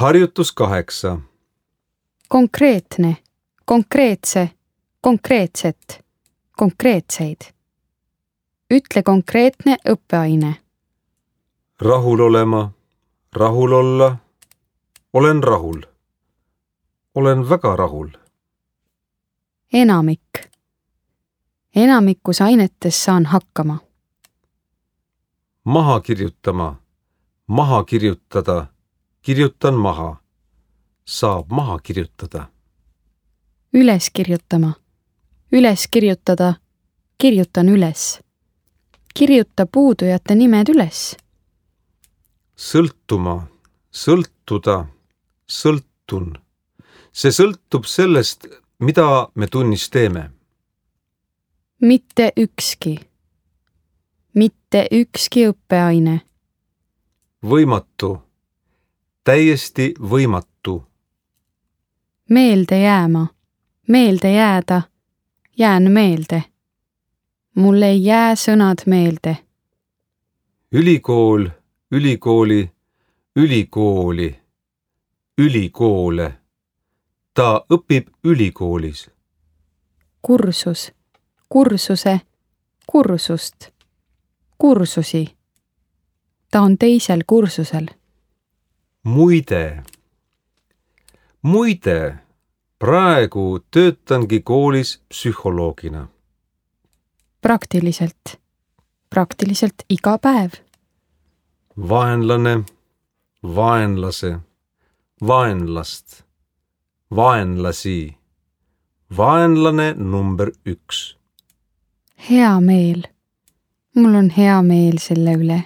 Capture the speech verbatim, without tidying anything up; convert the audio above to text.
Harjutus kaheksa. Konkreetne, konkreetse, konkreetset, konkreetseid. Ütle konkreetne õppeaine. Rahul olema, rahul olla, olen rahul, olen väga rahul. Enamik. Enamikus ainetes saan hakkama. Maha kirjutama, maha kirjutada, kirjutan maha, saab maha kirjutada. Üles kirjutama, üles kirjutada, kirjutan üles. Kirjuta puudujate nimed üles. Sõltuma, sõltuda, sõltun. See sõltub sellest, mida me tunnis teeme. Mitte ükski. Mitte ükski õppeaine. Võimatu, täiesti võimatu. Meelde jääma, meelde jääda, jään meelde. Mul ei jää sõnad meelde. Ülikool, ülikooli, ülikooli, ülikoole. Ta õpib ülikoolis. Kursus, kursuse, kursust, kursusi. Ta on teisel kursusel. Muide, muide, praegu töötangi koolis psühholoogina. Praktiliselt, praktiliselt iga päev. Vaenlane, vaenlase, vaenlast, vaenlasi, vaenlane number üks. Hea meel. Mul on hea meel selle üle.